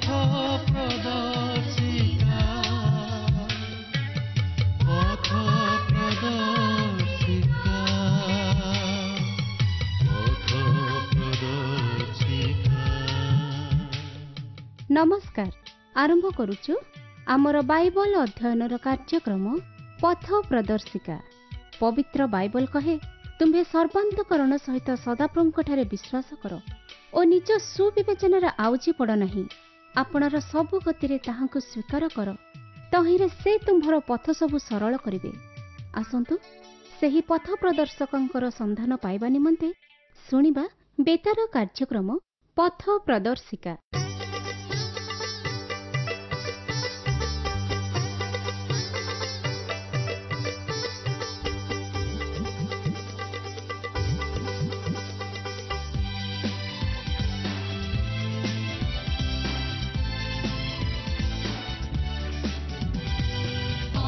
ପଥ ପ୍ରଦର୍ଶିକା, ପଥ ପ୍ରଦର୍ଶିକା, ପଥ ପ୍ରଦର୍ଶିକା। ନମସ୍କାର। ଆରମ୍ଭ କରୁଛୁ ଆମର ବାଇବଲ ଅଧ୍ୟୟନର କାର୍ଯ୍ୟକ୍ରମ ପଥ ପ୍ରଦର୍ଶିକା। ପବିତ୍ର ବାଇବଲ କହେ, ତୁମ୍ଭେ ସର୍ବାନ୍ତକରଣ ସହିତ ସଦାପ୍ରଭୁଙ୍କଠାରେ ବିଶ୍ୱାସ କର ଓ ନିଜ ସୁବିବେଚନାରେ ଆଉଜି ପଡ଼ ନାହିଁ। ଆପଣାର ସବୁ ଗତିରେ ତାହାଙ୍କୁ ସ୍ୱୀକାର କର, ତହିଁରେ ସେ ତୁମ୍ଭର ପଥ ସବୁ ସରଳ କରିବେ। ଆସନ୍ତୁ ସେହି ପଥ ପ୍ରଦର୍ଶକଙ୍କର ସନ୍ଧାନ ପାଇବା ନିମନ୍ତେ ଶୁଣିବା ବେତାର କାର୍ଯ୍ୟକ୍ରମ ପଥ ପ୍ରଦର୍ଶିକା।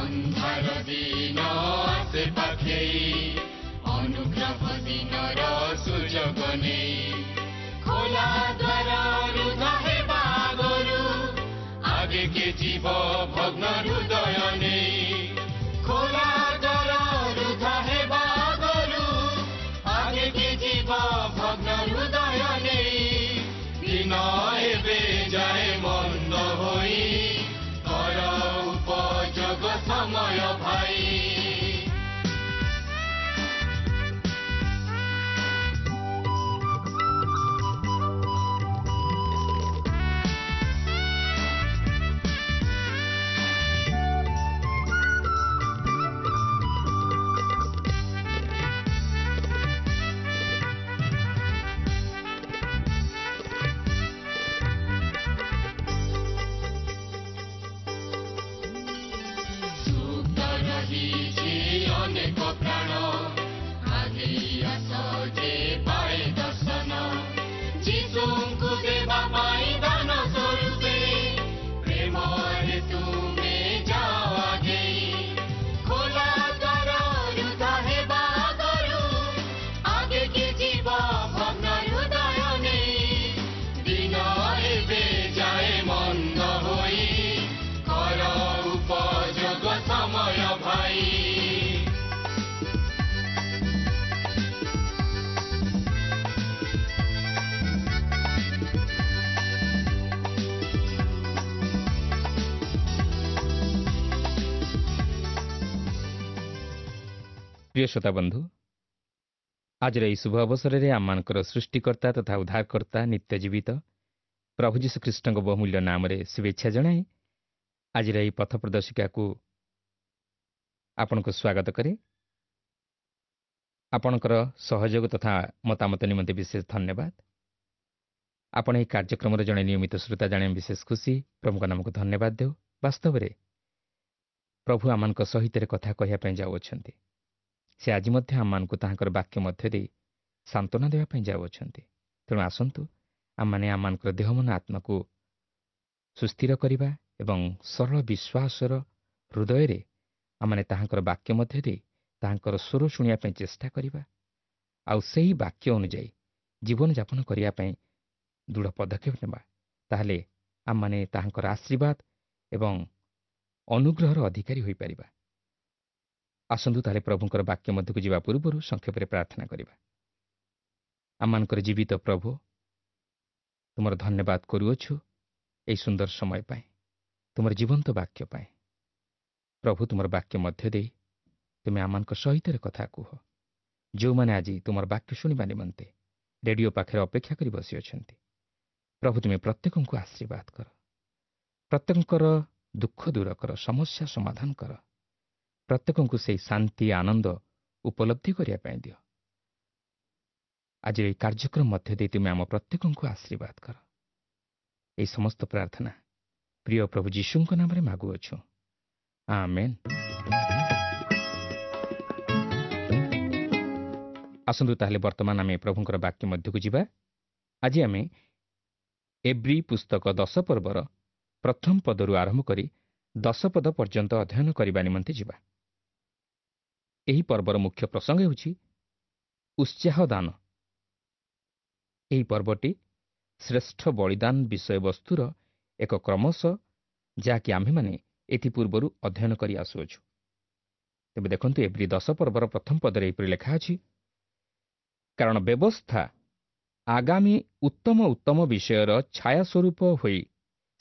ଅନ୍ଧାର ଦିନ ଆସେ ପାଖେଇ, ଅନୁଗ୍ରହ ଦିନର ସୁଯୋଗ ନେଇ, ଖୋଲା ଦ୍ୱାର ରୁଦ୍ଧ ହେବା ଆଗରୁ ଆଗେ କେ ଯିବ ଭଗ୍ନ ହୃଦୟ ନେଇ। ଖୋଲା ଦ୍ୱାର ରୁଦ୍ଧ ହେବା ଆଗରୁ ଆଗେ କେ ଯିବ ଭଗ୍ନ ହୃଦୟ ନେଇ। ଦିନ ଏବେ ଯାଏ ମନ୍ଦ ହୋଇ, କର ଉପଯୋଗ ସମୟ ଭାଇ। ସୁପ୍ତ ରହିଛି ଅନେକ ପ୍ରାଣ, ଆଗେଇ ଆସ ଯେ ପାଏ ଦର୍ଶନ। ଯୀଶୁଙ୍କୁ ଦେବା ପାଇଁ ଦାନ ସ୍ୱରୂପେ ପ୍ରେମରେ ତୁମେ ଯାଅ ଆଗେଇ। ଖୋଲା ଦ୍ୱାର ରୁଦ୍ଧ ହେବା ଆଗରୁ ଆଗେ କି ଯିବ ଭଗ୍ନ ହୃଦୟ ନେଇ। ଦିନ ଏବେ ଯାଏ ମନ୍ଦ ହୋଇ, କର ଉପଯୋଗ ସମୟ ଭାଇ। ପ୍ରିୟ ଶ୍ରୋତା ବନ୍ଧୁ, ଆଜିର ଏହି ଶୁଭ ଅବସରରେ ଆମମାନଙ୍କର ସୃଷ୍ଟିକର୍ତ୍ତା ତଥା ଉଦ୍ଧାରକର୍ତ୍ତା ନିତ୍ୟ ଜୀବିତ ପ୍ରଭୁ ଯୀଶୁଖ୍ରୀଷ୍ଟଙ୍କ ବହୁମୂଲ୍ୟ ନାମରେ ଶୁଭେଚ୍ଛା ଜଣାଇ ଆଜିର ଏହି ପଥ ପ୍ରଦର୍ଶିକାକୁ ଆପଣଙ୍କୁ ସ୍ୱାଗତ କରେ। ଆପଣଙ୍କର ସହଯୋଗ ତଥା ମତାମତ ନିମନ୍ତେ ବିଶେଷ ଧନ୍ୟବାଦ। ଆପଣ ଏହି କାର୍ଯ୍ୟକ୍ରମର ଜଣେ ନିୟମିତ ଶ୍ରୋତା ଜାଣି ଆମେ ବିଶେଷ ଖୁସି। ପ୍ରଭୁଙ୍କ ନାମକୁ ଧନ୍ୟବାଦ ଦେଉ। ବାସ୍ତବରେ ପ୍ରଭୁ ଆମମାନଙ୍କ ସହିତ କଥା କହିବା ପାଇଁ ଯାଉଅଛନ୍ତି। ସେ ଆଜି ମଧ୍ୟ ଆମମାନଙ୍କୁ ତାହାଙ୍କର ବାକ୍ୟ ମଧ୍ୟ ଦେଇ ସାନ୍ତ୍ୱନା ଦେବା ପାଇଁ ଯାଉଅଛନ୍ତି। ତେଣୁ ଆସନ୍ତୁ ଆମମାନେ ଆମମାନଙ୍କର ଦେହ ମନ ଆତ୍ମାକୁ ସୁସ୍ଥିର କରିବା ଏବଂ ସରଳ ବିଶ୍ୱାସର ହୃଦୟରେ ଆମମାନେ ତାହାଙ୍କର ବାକ୍ୟ ମଧ୍ୟ ଦେଇ ତାହାଙ୍କର ସ୍ୱର ଶୁଣିବା ପାଇଁ ଚେଷ୍ଟା କରିବା, ଆଉ ସେହି ବାକ୍ୟ ଅନୁଯାୟୀ ଜୀବନଯାପନ କରିବା ପାଇଁ ଦୃଢ଼ ପଦକ୍ଷେପ ନେବା। ତାହେଲେ ଆମମାନେ ତାହାଙ୍କର ଆଶୀର୍ବାଦ ଏବଂ ଅନୁଗ୍ରହର ଅଧିକାରୀ ହୋଇପାରିବା। ଆସନ୍ତୁ ତାହେଲେ ପ୍ରଭୁଙ୍କର ବାକ୍ୟ ମଧ୍ୟକୁ ଯିବା ପୂର୍ବରୁ ସଂକ୍ଷେପରେ ପ୍ରାର୍ଥନା କରିବା। ଆମମାନଙ୍କର ଜୀବିତ ପ୍ରଭୁ, ତୁମର ଧନ୍ୟବାଦ କରୁଅଛୁ ଏହି ସୁନ୍ଦର ସମୟ ପାଇଁ, ତୁମର ଜୀବନ୍ତ ବାକ୍ୟ ପାଇଁ। ପ୍ରଭୁ, ତୁମର ବାକ୍ୟ ମଧ୍ୟ ଦେଇ ତୁମେ ଆମମାନଙ୍କ ସହିତ କଥା କୁହ। ଯେଉଁମାନେ ଆଜି ତୁମର ବାକ୍ୟ ଶୁଣିବା ନିମନ୍ତେ ରେଡିଓ ପାଖରେ ଅପେକ୍ଷା କରି ବସିଅଛନ୍ତି, ପ୍ରଭୁ ତୁମେ ପ୍ରତ୍ୟେକଙ୍କୁ ଆଶୀର୍ବାଦ କର, ପ୍ରତ୍ୟେକଙ୍କର ଦୁଃଖ ଦୂର କର, ସମସ୍ୟା ସମାଧାନ କର, ପ୍ରତ୍ୟେକଙ୍କୁ ସେହି ଶାନ୍ତି ଆନନ୍ଦ ଉପଲବ୍ଧି କରିବା ପାଇଁ ଦିଅ। ଆଜିର ଏହି କାର୍ଯ୍ୟକ୍ରମ ମଧ୍ୟ ଦେଇ ତୁମେ ଆମ ପ୍ରତ୍ୟେକଙ୍କୁ ଆଶୀର୍ବାଦ କର। ଏହି ସମସ୍ତ ପ୍ରାର୍ଥନା ପ୍ରିୟ ପ୍ରଭୁ ଯୀଶୁଙ୍କ ନାମରେ ମାଗୁଅଛୁ, ଆମେନ୍। ଆସନ୍ତୁ ତାହେଲେ ବର୍ତ୍ତମାନ ଆମେ ପ୍ରଭୁଙ୍କର ବାକ୍ୟ ମଧ୍ୟକୁ ଯିବା। ଆଜି ଆମେ ଏବ୍ରୀ ପୁସ୍ତକ 10 ପର୍ବର ପ୍ରଥମ ପଦରୁ ଆରମ୍ଭ କରି 10 ପଦ ପର୍ଯ୍ୟନ୍ତ ଅଧ୍ୟୟନ କରିବା ନିମନ୍ତେ ଯିବା। ଏହି ପର୍ବର ମୁଖ୍ୟ ପ୍ରସଙ୍ଗ ହେଉଛି ଉତ୍ସାହ ଦାନ। ଏହି ପର୍ବଟି ଶ୍ରେଷ୍ଠ ବଳିଦାନ ବିଷୟବସ୍ତୁର ଏକ କ୍ରମଶଃ, ଯାହାକି ଆମ୍ଭେମାନେ ଏଥିପୂର୍ବରୁ ଅଧ୍ୟୟନ କରି ଆସୁଅଛୁ। ତେବେ ଦେଖନ୍ତୁ, ଏବ୍ରୀ 10 ପର୍ବର ପ୍ରଥମ ପଦରେ ଏହିପରି ଲେଖା ଅଛି, କାରଣ ବ୍ୟବସ୍ଥା ଆଗାମୀ ଉତ୍ତମ ଉତ୍ତମ ବିଷୟର ଛାୟା ସ୍ୱରୂପ ହୋଇ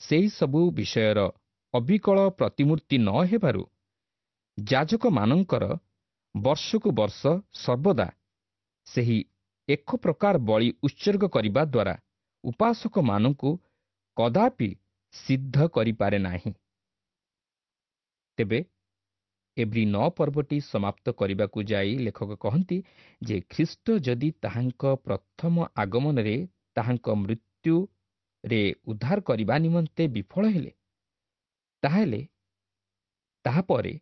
ସେହି ସବୁ ବିଷୟର ଅବିକଳ ପ୍ରତିମୂର୍ତ୍ତି ନ ହେବାରୁ ଯାଜକମାନଙ୍କର ବର୍ଷକୁ ବର୍ଷ ସର୍ବଦା ସେହି ଏକ ପ୍ରକାର ବଳି ଉତ୍ସର୍ଗ କରିବା ଦ୍ୱାରା ଉପାସକମାନଙ୍କୁ କଦାପି ସିଦ୍ଧ କରିପାରେ ନାହିଁ। ତେବେ ଏବ୍ରୀ 9 ପର୍ବଟି ସମାପ୍ତ କରିବାକୁ ଯାଇ ଲେଖକ କହନ୍ତି ଯେ ଖ୍ରୀଷ୍ଟ ଯଦି ତାହାଙ୍କ ପ୍ରଥମ ଆଗମନରେ ତାହାଙ୍କ ମୃତ୍ୟୁରେ ଉଦ୍ଧାର କରିବା ନିମନ୍ତେ ବିଫଳ ହେଲେ, ତାହେଲେ ତାହାପରେ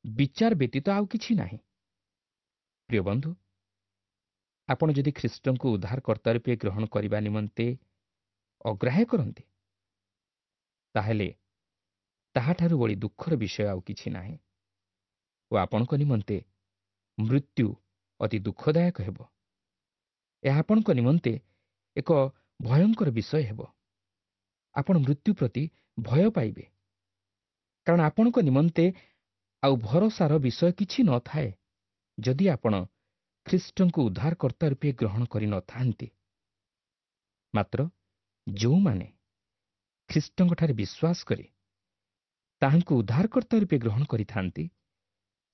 ବିଚାର ବ୍ୟତୀତ ଆଉ କିଛି ନାହିଁ। ପ୍ରିୟ ବନ୍ଧୁ, ଆପଣ ଯଦି ଖ୍ରୀଷ୍ଟଙ୍କୁ ଉଦ୍ଧାରକର୍ତ୍ତା ରୂପେ ଗ୍ରହଣ କରିବା ନିମନ୍ତେ ଅଗ୍ରାହ୍ୟ କରନ୍ତି, ତାହେଲେ ତାହାଠାରୁ ବଳି ଦୁଃଖର ବିଷୟ ଆଉ କିଛି ନାହିଁ ଓ ଆପଣଙ୍କ ନିମନ୍ତେ ମୃତ୍ୟୁ ଅତି ଦୁଃଖଦାୟକ ହେବ। ଏହା ଆପଣଙ୍କ ନିମନ୍ତେ ଏକ ଭୟଙ୍କର ବିଷୟ ହେବ। ଆପଣ ମୃତ୍ୟୁ ପ୍ରତି ଭୟ ପାଇବେ, କାରଣ ଆପଣଙ୍କ ନିମନ୍ତେ ଆଉ ଭରସାର ବିଷୟ କିଛି ନଥାଏ ଯଦି ଆପଣ ଖ୍ରୀଷ୍ଟଙ୍କୁ ଉଦ୍ଧାରକର୍ତ୍ତା ରୂପେ ଗ୍ରହଣ କରିନଥାନ୍ତି। ମାତ୍ର ଯେଉଁମାନେ ଖ୍ରୀଷ୍ଟଙ୍କଠାରେ ବିଶ୍ୱାସ କରି ତାହାଙ୍କୁ ଉଦ୍ଧାରକର୍ତ୍ତା ରୂପେ ଗ୍ରହଣ କରିଥାନ୍ତି,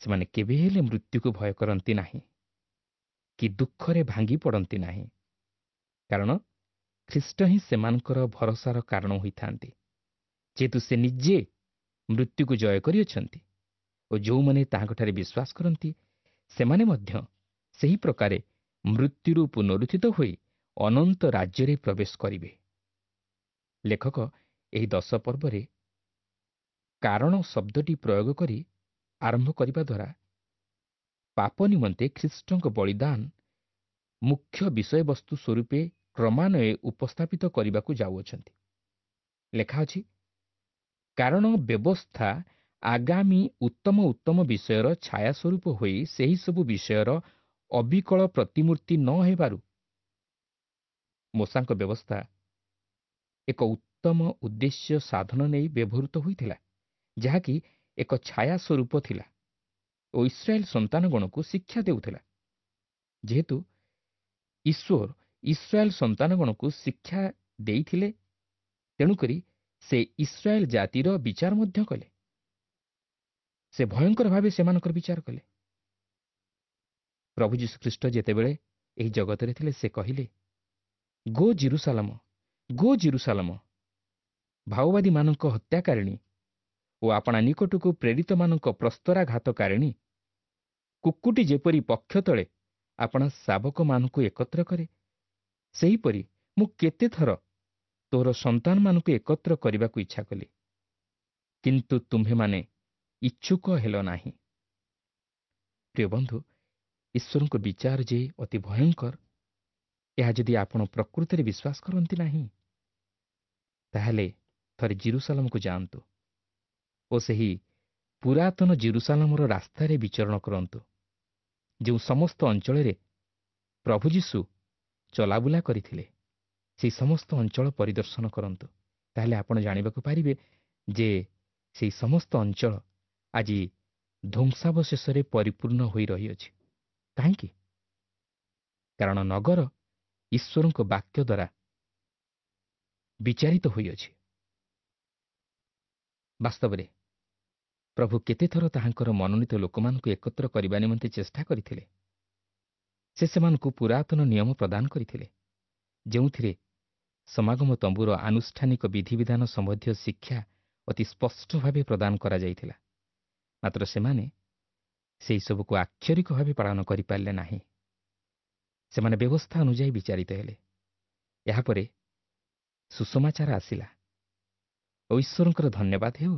ସେମାନେ କେବେ ହେଲେ ମୃତ୍ୟୁକୁ ଭୟ କରନ୍ତି ନାହିଁ କି ଦୁଃଖରେ ଭାଙ୍ଗି ପଡ଼ନ୍ତି ନାହିଁ, କାରଣ ଖ୍ରୀଷ୍ଟ ହିଁ ସେମାନଙ୍କର ଭରସାର କାରଣ ହୋଇଥାନ୍ତି। ଯେହେତୁ ସେ ନିଜେ ମୃତ୍ୟୁକୁ ଜୟ କରିଅଛନ୍ତି ଓ ଯେଉଁମାନେ ତାହାଙ୍କଠାରେ ବିଶ୍ୱାସ କରନ୍ତି ସେମାନେ ମଧ୍ୟ ସେହି ପ୍ରକାରେ ମୃତ୍ୟୁରୁ ପୁନରୁତ୍ଥିତ ହୋଇ ଅନନ୍ତ ରାଜ୍ୟରେ ପ୍ରବେଶ କରିବେ। ଲେଖକ ଏହି 10 ପର୍ବରେ କାରଣ ଶବ୍ଦଟି ପ୍ରୟୋଗ କରି ଆରମ୍ଭ କରିବା ଦ୍ୱାରା ପାପ ନିମନ୍ତେ ଖ୍ରୀଷ୍ଟଙ୍କ ବଳିଦାନ ମୁଖ୍ୟ ବିଷୟବସ୍ତୁ ସ୍ୱରୂପେ କ୍ରମାନ୍ୱୟରେ ଉପସ୍ଥାପିତ କରିବାକୁ ଯାଉଅଛନ୍ତି। ଲେଖା ଅଛି, କାରଣ ବ୍ୟବସ୍ଥା ଆଗାମୀ ଉତ୍ତମ ଉତ୍ତମ ବିଷୟର ଛାୟା ସ୍ୱରୂପ ହୋଇ ସେହିସବୁ ବିଷୟର ଅବିକଳ ପ୍ରତିମୂର୍ତ୍ତି ନ ହେବାରୁ। ମୋଶାଙ୍କ ବ୍ୟବସ୍ଥା ଏକ ଉତ୍ତମ ଉଦ୍ଦେଶ୍ୟ ସାଧନ ନେଇ ବ୍ୟବହୃତ ହୋଇଥିଲା, ଯାହାକି ଏକ ଛାୟା ସ୍ୱରୂପ ଥିଲା ଓ ଇସ୍ରାଏଲ ସନ୍ତାନଗଣକୁ ଶିକ୍ଷା ଦେଉଥିଲା। ଯେହେତୁ ଈଶ୍ୱର ଇସ୍ରାଏଲ ସନ୍ତାନଗଣକୁ ଶିକ୍ଷା ଦେଇଥିଲେ, ତେଣୁକରି ସେ ଇସ୍ରାଏଲ ଜାତିର ବିଚାର ମଧ୍ୟ କଲେ। ସେ ଭୟଙ୍କର ଭାବେ ସେମାନଙ୍କର ବିଚାର କଲେ। ପ୍ରଭୁ ଯୀଶୁଖ୍ରୀଷ୍ଟ ଯେତେବେଳେ ଏହି ଜଗତରେ ଥିଲେ, ସେ କହିଲେ, ଗୋ ଜିରୁସାଲମ, ଗୋ ଜିରୁସାଲମ, ଭାଓବାଦୀମାନଙ୍କ ହତ୍ୟାକାରିଣୀ ଓ ଆପଣା ନିକଟକୁ ପ୍ରେରିତମାନଙ୍କ ପ୍ରସ୍ତରାଘାତକାରିଣୀ, କୁକୁଟି ଯେପରି ପକ୍ଷ ତଳେ ଆପଣା ଶାବକମାନଙ୍କୁ ଏକତ୍ର କରେ, ସେହିପରି ମୁଁ କେତେଥର ତୋର ସନ୍ତାନମାନଙ୍କୁ ଏକତ୍ର କରିବାକୁ ଇଚ୍ଛା କଲି, କିନ୍ତୁ ତୁମ୍ଭେମାନେ ଇଚ୍ଛୁକ ହେଲ ନାହିଁ। ପ୍ରିୟ ବନ୍ଧୁ, ଈଶ୍ୱରଙ୍କ ବିଚାର ଯେ ଅତି ଭୟଙ୍କର, ଏହା ଯଦି ଆପଣ ପ୍ରକୃତରେ ବିଶ୍ୱାସ କରନ୍ତି ନାହିଁ, ତାହେଲେ ଥରେ ଜିରୁସାଲମକୁ ଯାଆନ୍ତୁ ଓ ସେହି ପୁରାତନ ଜିରୁସାଲମର ରାସ୍ତାରେ ବିଚରଣ କରନ୍ତୁ, ଯେଉଁ ସମସ୍ତ ଅଞ୍ଚଳରେ ପ୍ରଭୁ ଯୀଶୁ ଚଲାବୁଲା କରିଥିଲେ, ସେହି ସମସ୍ତ ଅଞ୍ଚଳ ପରିଦର୍ଶନ କରନ୍ତୁ। ତାହେଲେ ଆପଣ ଜାଣିବାକୁ ପାରିବେ ଯେ ସେହି ସମସ୍ତ ଅଞ୍ଚଳ ଆଜି ଧ୍ୱଂସାବଶେଷରେ ପରିପୂର୍ଣ୍ଣ ହୋଇ ରହିଅଛି। କାହିଁକି? କାରଣ ନଗର ଈଶ୍ୱରଙ୍କ ବାକ୍ୟ ଦ୍ୱାରା ବିଚାରିତ ହୋଇଅଛି। ବାସ୍ତବରେ ପ୍ରଭୁ କେତେଥର ତାହାଙ୍କର ମନୋନୀତ ଲୋକମାନଙ୍କୁ ଏକତ୍ର କରିବା ନିମନ୍ତେ ଚେଷ୍ଟା କରିଥିଲେ। ସେ ସେମାନଙ୍କୁ ପୁରାତନ ନିୟମ ପ୍ରଦାନ କରିଥିଲେ, ଯେଉଁଥିରେ ସମାଗମ ତମ୍ବୁର ଆନୁଷ୍ଠାନିକ ବିଧିବିଧାନ ସମ୍ବନ୍ଧୀୟ ଶିକ୍ଷା ଅତି ସ୍ପଷ୍ଟ ଭାବେ ପ୍ରଦାନ କରାଯାଇଥିଲା। ମାତ୍ର ସେମାନେ ସେହିସବୁକୁ ଆକ୍ଷରିକ ଭାବେ ପାଳନ କରିପାରିଲେ ନାହିଁ। ସେମାନେ ବ୍ୟବସ୍ଥା ଅନୁଯାୟୀ ବିଚାରିତ ହେଲେ। ଏହାପରେ ସୁସମାଚାର ଆସିଲା ଓ ଈଶ୍ୱରଙ୍କର ଧନ୍ୟବାଦ ହେଉ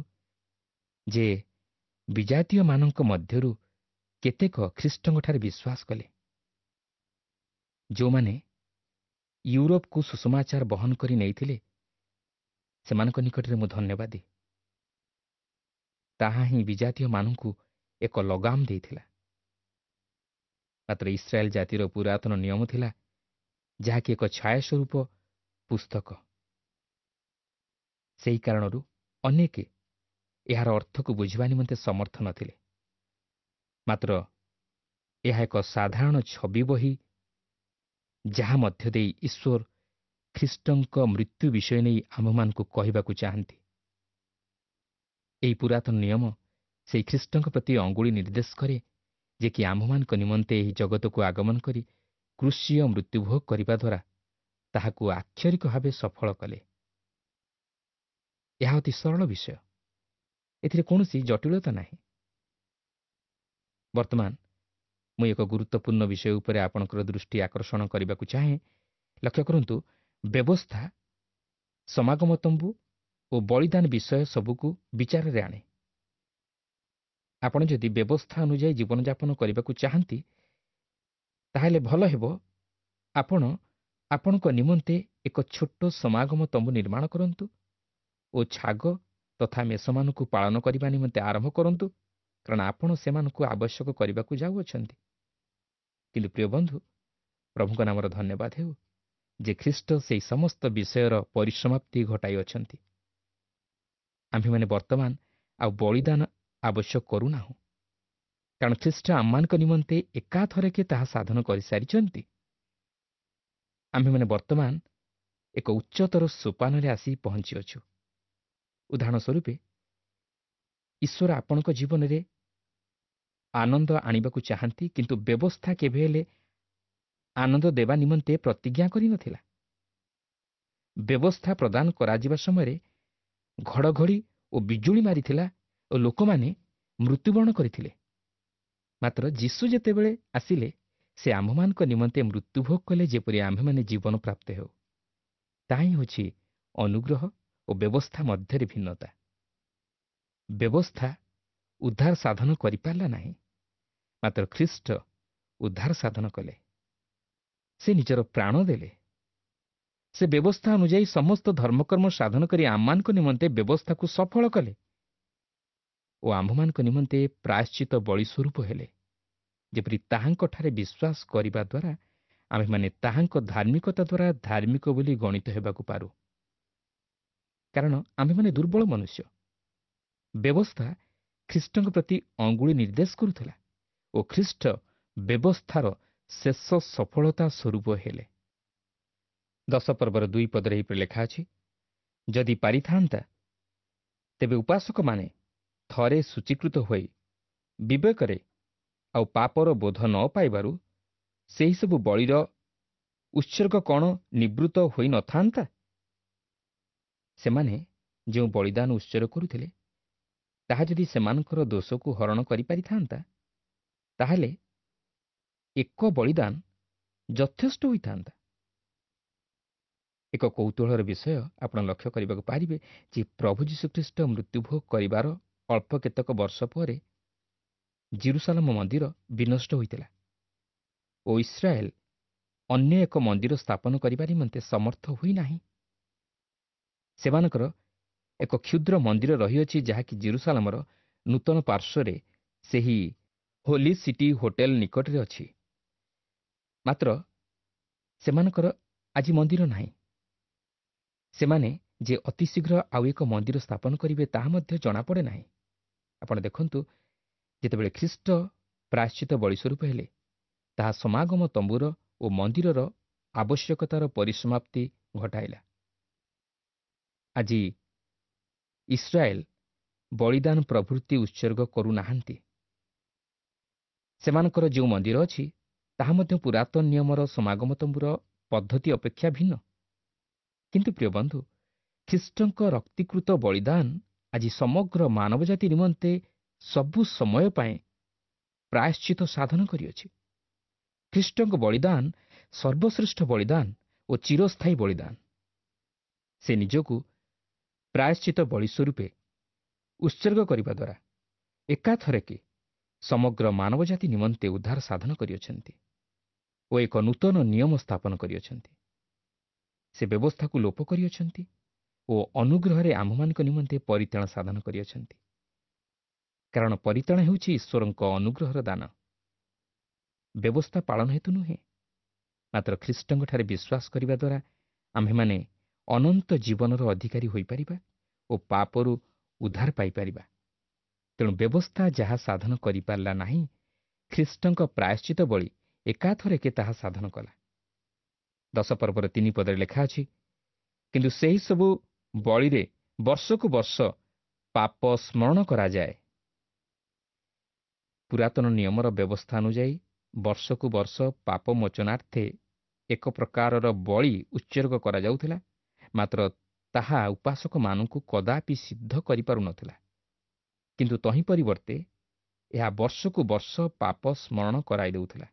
ଯେ ବିଜାତୀୟମାନଙ୍କ ମଧ୍ୟରୁ କେତେକ ଖ୍ରୀଷ୍ଟଙ୍କଠାରେ ବିଶ୍ୱାସ କଲେ। ଯେଉଁମାନେ ୟୁରୋପକୁ ସୁସମାଚାର ବହନ କରି ନେଇଥିଲେ, ସେମାନଙ୍କ ନିକଟରେ ମୁଁ ଧନ୍ୟବାଦୀ। ତାହା ହିଁ ବିଜାତୀୟମାନଙ୍କୁ ଏକ ଲଗାମ ଦେଇଥିଲା। ମାତ୍ର ଇସ୍ରାଏଲ ଜାତିର ପୁରାତନ ନିୟମ ଥିଲା, ଯାହାକି ଏକ ଛାୟାସ୍ୱରୂପ ପୁସ୍ତକ। ସେହି କାରଣରୁ ଅନେକ ଏହାର ଅର୍ଥକୁ ବୁଝିବା ନିମନ୍ତେ ସମର୍ଥ ନଥିଲେ। ମାତ୍ର ଏହା ଏକ ସାଧାରଣ ଛବି ବହି, ଯାହା ମଧ୍ୟ ଦେଇ ଈଶ୍ୱର ଖ୍ରୀଷ୍ଟଙ୍କ ମୃତ୍ୟୁ ବିଷୟ ନେଇ ଆମ୍ଭମାନଙ୍କୁ କହିବାକୁ ଚାହାନ୍ତି। ଏହି ପୁରାତନ ନିୟମ ସେହି ଖ୍ରୀଷ୍ଟଙ୍କ ପ୍ରତି ଅଙ୍ଗୁଳି ନିର୍ଦ୍ଦେଶ କରେ, ଯେ କି ଆମ୍ଭମାନଙ୍କ ନିମନ୍ତେ ଏହି ଜଗତକୁ ଆଗମନ କରି କୃଷିୟ ମୃତ୍ୟୁଭୋଗ କରିବା ଦ୍ୱାରା ତାହାକୁ ଆକ୍ଷରିକ ଭାବେ ସଫଳ କଲେ। ଏହା ଅତି ସରଳ ବିଷୟ, ଏଥିରେ କୌଣସି ଜଟିଳତା ନାହିଁ। ବର୍ତ୍ତମାନ ମୁଁ ଏକ ଗୁରୁତ୍ୱପୂର୍ଣ୍ଣ ବିଷୟ ଉପରେ ଆପଣଙ୍କର ଦୃଷ୍ଟି ଆକର୍ଷଣ କରିବାକୁ ଚାହେଁ। ଲକ୍ଷ୍ୟ କରନ୍ତୁ, ବ୍ୟବସ୍ଥା ସମାଗମ ତମ୍ବୁ ଓ ବଳିଦାନ ବିଷୟ ସବୁକୁ ବିଚାରରେ ଆଣେ। ଆପଣ ଯଦି ବ୍ୟବସ୍ଥା ଅନୁଯାୟୀ ଜୀବନଯାପନ କରିବାକୁ ଚାହାନ୍ତି, ତାହେଲେ ଭଲ ହେବ ଆପଣ ଆପଣଙ୍କ ନିମନ୍ତେ ଏକ ଛୋଟ ସମାଗମ ତମ୍ବୁ ନିର୍ମାଣ କରନ୍ତୁ ଓ ଛାଗ ତଥା ମେଷମାନଙ୍କୁ ପାଳନ କରିବା ନିମନ୍ତେ ଆରମ୍ଭ କରନ୍ତୁ, କାରଣ ଆପଣ ସେମାନଙ୍କୁ ଆବଶ୍ୟକ କରିବାକୁ ଯାଉଅଛନ୍ତି। କିନ୍ତୁ ପ୍ରିୟ ବନ୍ଧୁ, ପ୍ରଭୁଙ୍କ ନାମର ଧନ୍ୟବାଦ ହେଉ ଯେ ଖ୍ରୀଷ୍ଟ ସେହି ସମସ୍ତ ବିଷୟର ପରିସମାପ୍ତି ଘଟାଇଅଛନ୍ତି। ଆମ୍ଭେମାନେ ବର୍ତ୍ତମାନ ଆଉ ବଳିଦାନ ଆବଶ୍ୟକ କରୁନାହୁଁ, କାରଣ ଖ୍ରୀଷ୍ଟ ଆମମାନଙ୍କ ନିମନ୍ତେ ଏକାଥରକେ ତାହା ସାଧନ କରିସାରିଛନ୍ତି। ଆମ୍ଭେମାନେ ବର୍ତ୍ତମାନ ଏକ ଉଚ୍ଚତର ସୋପାନରେ ଆସି ପହଞ୍ଚିଅଛୁ। ଉଦାହରଣ ସ୍ୱରୂପ, ଈଶ୍ୱର ଆପଣଙ୍କ ଜୀବନରେ ଆନନ୍ଦ ଆଣିବାକୁ ଚାହାନ୍ତି, କିନ୍ତୁ ବ୍ୟବସ୍ଥା କେବେ ହେଲେ ଆନନ୍ଦ ଦେବା ନିମନ୍ତେ ପ୍ରତିଜ୍ଞା କରିନଥିଲା। ବ୍ୟବସ୍ଥା ପ୍ରଦାନ କରାଯିବା ସମୟରେ ଘଡ଼ଘଡ଼ି ଓ ବିଜୁଳି ମାରିଥିଲା ଓ ଲୋକମାନେ ମୃତ୍ୟୁବରଣ କରିଥିଲେ। ମାତ୍ର ଯୀଶୁ ଯେତେବେଳେ ଆସିଲେ, ସେ ଆମ୍ଭମାନଙ୍କ ନିମନ୍ତେ ମୃତ୍ୟୁଭୋଗ କଲେ, ଯେପରି ଆମ୍ଭେମାନେ ଜୀବନ ପ୍ରାପ୍ତ ହେଉ। ତାହା ହିଁ ହେଉଛି ଅନୁଗ୍ରହ ଓ ବ୍ୟବସ୍ଥା ମଧ୍ୟରେ ଭିନ୍ନତା। ବ୍ୟବସ୍ଥା ଉଦ୍ଧାର ସାଧନ କରିପାରିଲା ନାହିଁ, ମାତ୍ର ଖ୍ରୀଷ୍ଟ ଉଦ୍ଧାର ସାଧନ କଲେ। ସେ ନିଜର ପ୍ରାଣ ଦେଲେ। ସେ ବ୍ୟବସ୍ଥା ଅନୁଯାୟୀ ସମସ୍ତ ଧର୍ମକର୍ମ ସାଧନ କରି ଆମମାନଙ୍କ ନିମନ୍ତେ ବ୍ୟବସ୍ଥାକୁ ସଫଳ କଲେ ଓ ଆମ୍ଭମାନଙ୍କ ନିମନ୍ତେ ପ୍ରାୟଶ୍ଚିତ ବଳି ସ୍ୱରୂପ ହେଲେ, ଯେପରି ତାହାଙ୍କଠାରେ ବିଶ୍ୱାସ କରିବା ଦ୍ୱାରା ଆମ୍ଭେମାନେ ତାହାଙ୍କ ଧାର୍ମିକତା ଦ୍ୱାରା ଧାର୍ମିକ ବୋଲି ଗଣିତ ହେବାକୁ ପାରୁ। କାରଣ ଆମ୍ଭେମାନେ ଦୁର୍ବଳ ମନୁଷ୍ୟ। ବ୍ୟବସ୍ଥା ଖ୍ରୀଷ୍ଟଙ୍କ ପ୍ରତି ଅଙ୍ଗୁଳି ନିର୍ଦ୍ଦେଶ କରୁଥିଲା ଓ ଖ୍ରୀଷ୍ଟ ବ୍ୟବସ୍ଥାର ଶେଷ ସଫଳତା ସ୍ୱରୂପ ହେଲେ। 10 ପର୍ବର 2 ପଦରେ ଏହିପରି ଲେଖା ଅଛି, ଯଦି ପାରିଥାନ୍ତା ତେବେ ଉପାସକମାନେ ଥରେ ସୂଚୀକୃତ ହୋଇ ବିବେକରେ ଆଉ ପାପର ବୋଧ ନ ପାଇବାରୁ ସେହିସବୁ ବଳିର ଉତ୍ସର୍ଗ କ'ଣ ନିବୃତ୍ତ ହୋଇନଥାନ୍ତା? ସେମାନେ ଯେଉଁ ବଳିଦାନ ଉତ୍ସର୍ଗ କରୁଥିଲେ, ତାହା ଯଦି ସେମାନଙ୍କର ଦୋଷକୁ ହରଣ କରିପାରିଥାନ୍ତା, ତାହେଲେ ଏକ ବଳିଦାନ ଯଥେଷ୍ଟ ହୋଇଥାନ୍ତା। ଏକ କୌତୂହଳର ବିଷୟ ଆପଣ ଲକ୍ଷ୍ୟ କରିବାକୁ ପାରିବେ ଯେ ପ୍ରଭୁ ଯୀଶୁଖ୍ରୀଷ୍ଟ ମୃତ୍ୟୁଭୋଗ କରିବାର ଅଳ୍ପ କେତେକ ବର୍ଷ ପରେ ଜିରୁସାଲମ ମନ୍ଦିର ବିନଷ୍ଟ ହୋଇଥିଲା ଓ ଇସ୍ରାଏଲ ଅନ୍ୟ ଏକ ମନ୍ଦିର ସ୍ଥାପନ କରିବା ନିମନ୍ତେ ସମର୍ଥ ହୋଇନାହିଁ। ସେମାନଙ୍କର ଏକ କ୍ଷୁଦ୍ର ମନ୍ଦିର ରହିଅଛି, ଯାହାକି ଜିରୁସାଲମର ନୂତନ ପାର୍ଶ୍ୱରେ ସେହି ହୋଲି ସିଟି ହୋଟେଲ ନିକଟରେ ଅଛି। ମାତ୍ର ସେମାନଙ୍କର ଆଜି ମନ୍ଦିର ନାହିଁ। ସେମାନେ ଯେ ଅତିଶୀଘ୍ର ଆଉ ଏକ ମନ୍ଦିର ସ୍ଥାପନ କରିବେ ତାହା ମଧ୍ୟ ଜଣାପଡ଼େ ନାହିଁ। ଆପଣ ଦେଖନ୍ତୁ, ଯେତେବେଳେ ଖ୍ରୀଷ୍ଟ ପ୍ରାୟଶ୍ଚିତ ବଳି ସ୍ୱରୂପ ହେଲେ, ତାହା ସମାଗମ ତମ୍ବୁର ଓ ମନ୍ଦିରର ଆବଶ୍ୟକତାର ପରିସମାପ୍ତି ଘଟାଇଲା। ଆଜି ଇସ୍ରାଏଲ ବଳିଦାନ ପ୍ରଭୃତି ଉତ୍ସର୍ଗ କରୁନାହାନ୍ତି। ସେମାନଙ୍କର ଯେଉଁ ମନ୍ଦିର ଅଛି, ତାହା ମଧ୍ୟ ପୁରାତନ ନିୟମର ସମାଗମ ତମ୍ବୁର ପଦ୍ଧତି ଅପେକ୍ଷା ଭିନ୍ନ। କିନ୍ତୁ ପ୍ରିୟ ବନ୍ଧୁ, ଖ୍ରୀଷ୍ଟଙ୍କ ରକ୍ତିକୃତ ବଳିଦାନ ଆଜି ସମଗ୍ର ମାନବ ଜାତି ନିମନ୍ତେ ସବୁ ସମୟ ପାଇଁ ପ୍ରାୟଶ୍ଚିତ ସାଧନ କରିଅଛି। ଖ୍ରୀଷ୍ଟଙ୍କ ବଳିଦାନ ସର୍ବଶ୍ରେଷ୍ଠ ବଳିଦାନ ଓ ଚିରସ୍ଥାୟୀ ବଳିଦାନ। ସେ ନିଜକୁ ପ୍ରାୟଶ୍ଚିତ ବଳି ସ୍ୱରୂପେ ଉତ୍ସର୍ଗ କରିବା ଦ୍ୱାରା ଏକାଥରକେ ସମଗ୍ର ମାନବ ଜାତି ନିମନ୍ତେ ଉଦ୍ଧାର ସାଧନ କରିଅଛନ୍ତି ଓ ଏକ ନୂତନ ନିୟମ ସ୍ଥାପନ କରିଅଛନ୍ତି। ସେ ବ୍ୟବସ୍ଥାକୁ ଲୋପ କରିଅଛନ୍ତି ଓ ଅନୁଗ୍ରହରେ ଆମ୍ଭମାନଙ୍କ ନିମନ୍ତେ ପରିତ୍ରାଣ ସାଧନ କରିଅଛନ୍ତି। କାରଣ ପରିତ୍ରାଣ ହେଉଛି ଈଶ୍ୱରଙ୍କ ଅନୁଗ୍ରହର ଦାନ, ବ୍ୟବସ୍ଥା ପାଳନ ହେତୁ ନୁହେଁ। ମାତ୍ର ଖ୍ରୀଷ୍ଟଙ୍କଠାରେ ବିଶ୍ୱାସ କରିବା ଦ୍ୱାରା ଆମ୍ଭେମାନେ ଅନନ୍ତ ଜୀବନର ଅଧିକାରୀ ହୋଇପାରିବା ଓ ପାପରୁ ଉଦ୍ଧାର ପାଇପାରିବା। ତେଣୁ ବ୍ୟବସ୍ଥା ଯାହା ସାଧନ କରିପାରିଲା ନାହିଁ, ଖ୍ରୀଷ୍ଟଙ୍କ ପ୍ରାୟଶ୍ଚିତ ବଳି ଏକାଥରକେ ତାହା ସାଧନ କଲା। 10 ପର୍ବର 3 ପଦରେ ଲେଖା ଅଛି, କିନ୍ତୁ ସେହିସବୁ ବଳିରେ ବର୍ଷକୁ ବର୍ଷ ପାପ ସ୍ମରଣ କରାଯାଏ। ପୁରାତନ ନିୟମର ବ୍ୟବସ୍ଥା ଅନୁଯାୟୀ ବର୍ଷକୁ ବର୍ଷ ପାପ ମୋଚନାର୍ଥେ ଏକ ପ୍ରକାରର ବଳି ଉତ୍ସର୍ଗ କରାଯାଉଥିଲା, ମାତ୍ର ତାହା ଉପାସକମାନଙ୍କୁ କଦାପି ସିଦ୍ଧ କରିପାରୁନଥିଲା। କିନ୍ତୁ ତହିଁ ପରିବର୍ତ୍ତେ ଏହା ବର୍ଷକୁ ବର୍ଷ ପାପ ସ୍ମରଣ କରାଇ ଦେଉଥିଲା।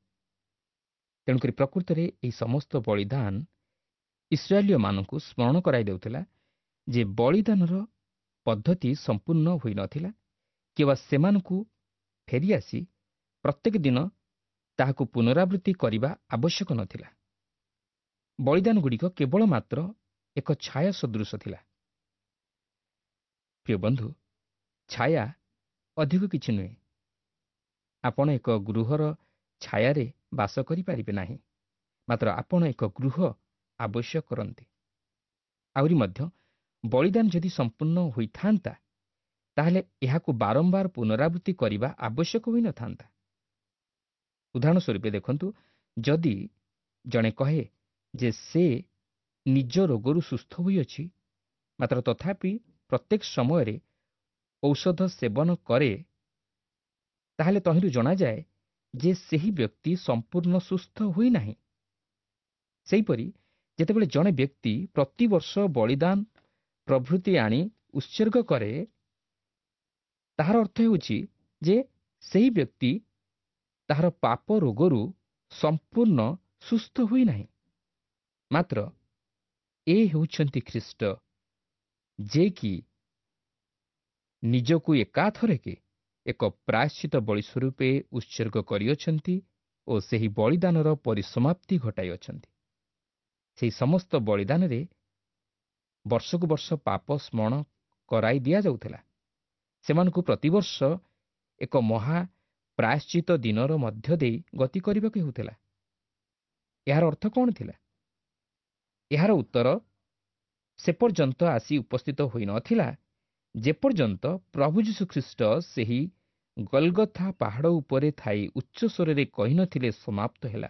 ତେଣୁକରି ପ୍ରକୃତରେ ଏହି ସମସ୍ତ ବଳିଦାନ ଇସ୍ରାଏଲୀୟମାନଙ୍କୁ ସ୍ମରଣ କରାଇ ଦେଉଥିଲା ଯେ ବଳିଦାନର ପଦ୍ଧତି ସମ୍ପୂର୍ଣ୍ଣ ହୋଇନଥିଲା କିମ୍ବା ସେମାନଙ୍କୁ ଫେରିଆସି ପ୍ରତ୍ୟେକ ଦିନ ତାହାକୁ ପୁନରାବୃତ୍ତି କରିବା ଆବଶ୍ୟକ ନଥିଲା। ବଳିଦାନଗୁଡ଼ିକ କେବଳ ମାତ୍ର ଏକ ଛାୟା ସଦୃଶ ଥିଲା। ପ୍ରିୟ ବନ୍ଧୁ, ଛାୟା ଅଧିକ କିଛି ନୁହେଁ। ଆପଣ ଏକ ଗୃହର ଛାୟାରେ ବାସ କରିପାରିବେ ନାହିଁ, ମାତ୍ର ଆପଣ ଏକ ଗୃହ ଆବଶ୍ୟକ କରନ୍ତି। ଆହୁରି ମଧ୍ୟ ବଳିଦାନ ଯଦି ସମ୍ପୂର୍ଣ୍ଣ ହୋଇଥାନ୍ତା, ତାହେଲେ ଏହାକୁ ବାରମ୍ବାର ପୁନରାବୃତ୍ତି କରିବା ଆବଶ୍ୟକ ହୋଇନଥାନ୍ତା। ଉଦାହରଣ ସ୍ୱରୂପ ଦେଖନ୍ତୁ, ଯଦି ଜଣେ କହେ ଯେ ସେ ନିଜ ରୋଗରୁ ସୁସ୍ଥ ହୋଇଅଛି, ମାତ୍ର ତଥାପି ପ୍ରତ୍ୟେକ ସମୟରେ ଔଷଧ ସେବନ କରେ, ତାହେଲେ ତହିଁରୁ ଜଣାଯାଏ ଯେ ସେହି ବ୍ୟକ୍ତି ସମ୍ପୂର୍ଣ୍ଣ ସୁସ୍ଥ ହୋଇନାହିଁ। ସେହିପରି ଯେତେବେଳେ ଜଣେ ବ୍ୟକ୍ତି ପ୍ରତିବର୍ଷ ବଳିଦାନ ପ୍ରଭୃତି ଆଣି ଉତ୍ସର୍ଗ କରେ, ତାହାର ଅର୍ଥ ହେଉଛି ଯେ ସେହି ବ୍ୟକ୍ତି ତାହାର ପାପ ରୋଗରୁ ସମ୍ପୂର୍ଣ୍ଣ ସୁସ୍ଥ ହୋଇନାହିଁ। ମାତ୍ର ଏ ହେଉଛନ୍ତି ଖ୍ରୀଷ୍ଟ, ଯେ କି ନିଜକୁ ଏକାଥରକେ ଏକ ପ୍ରାୟଶ୍ଚିତ ବଳି ସ୍ୱରୂପେ ଉତ୍ସର୍ଗ କରିଅଛନ୍ତି ଓ ସେହି ବଳିଦାନର ପରିସମାପ୍ତି ଘଟାଇଅଛନ୍ତି। ସେହି ସମସ୍ତ ବଳିଦାନରେ ବର୍ଷକୁ ବର୍ଷ ପାପ ସ୍ମରଣ କରାଇ ଦିଆଯାଉଥିଲା। ସେମାନଙ୍କୁ ପ୍ରତିବର୍ଷ ଏକ ମହା ପ୍ରାୟଶ୍ଚିତ ଦିନର ମଧ୍ୟ ଦେଇ ଗତି କରିବାକୁ ହେଉଥିଲା। ଏହାର ଅର୍ଥ କ'ଣ ଥିଲା? ଏହାର ଉତ୍ତର ସେ ପର୍ଯ୍ୟନ୍ତ ଆସି ଉପସ୍ଥିତ ହୋଇନଥିଲା ଯେପର୍ଯ୍ୟନ୍ତ ପ୍ରଭୁ ଯୀଶୁଖ୍ରୀଷ୍ଟ ସେହି ଗଲଗଥା ପାହାଡ଼ ଉପରେ ଥାଇ ଉଚ୍ଚସ୍ୱରରେ କହିନଥିଲେ, ସମାପ୍ତ ହେଲା।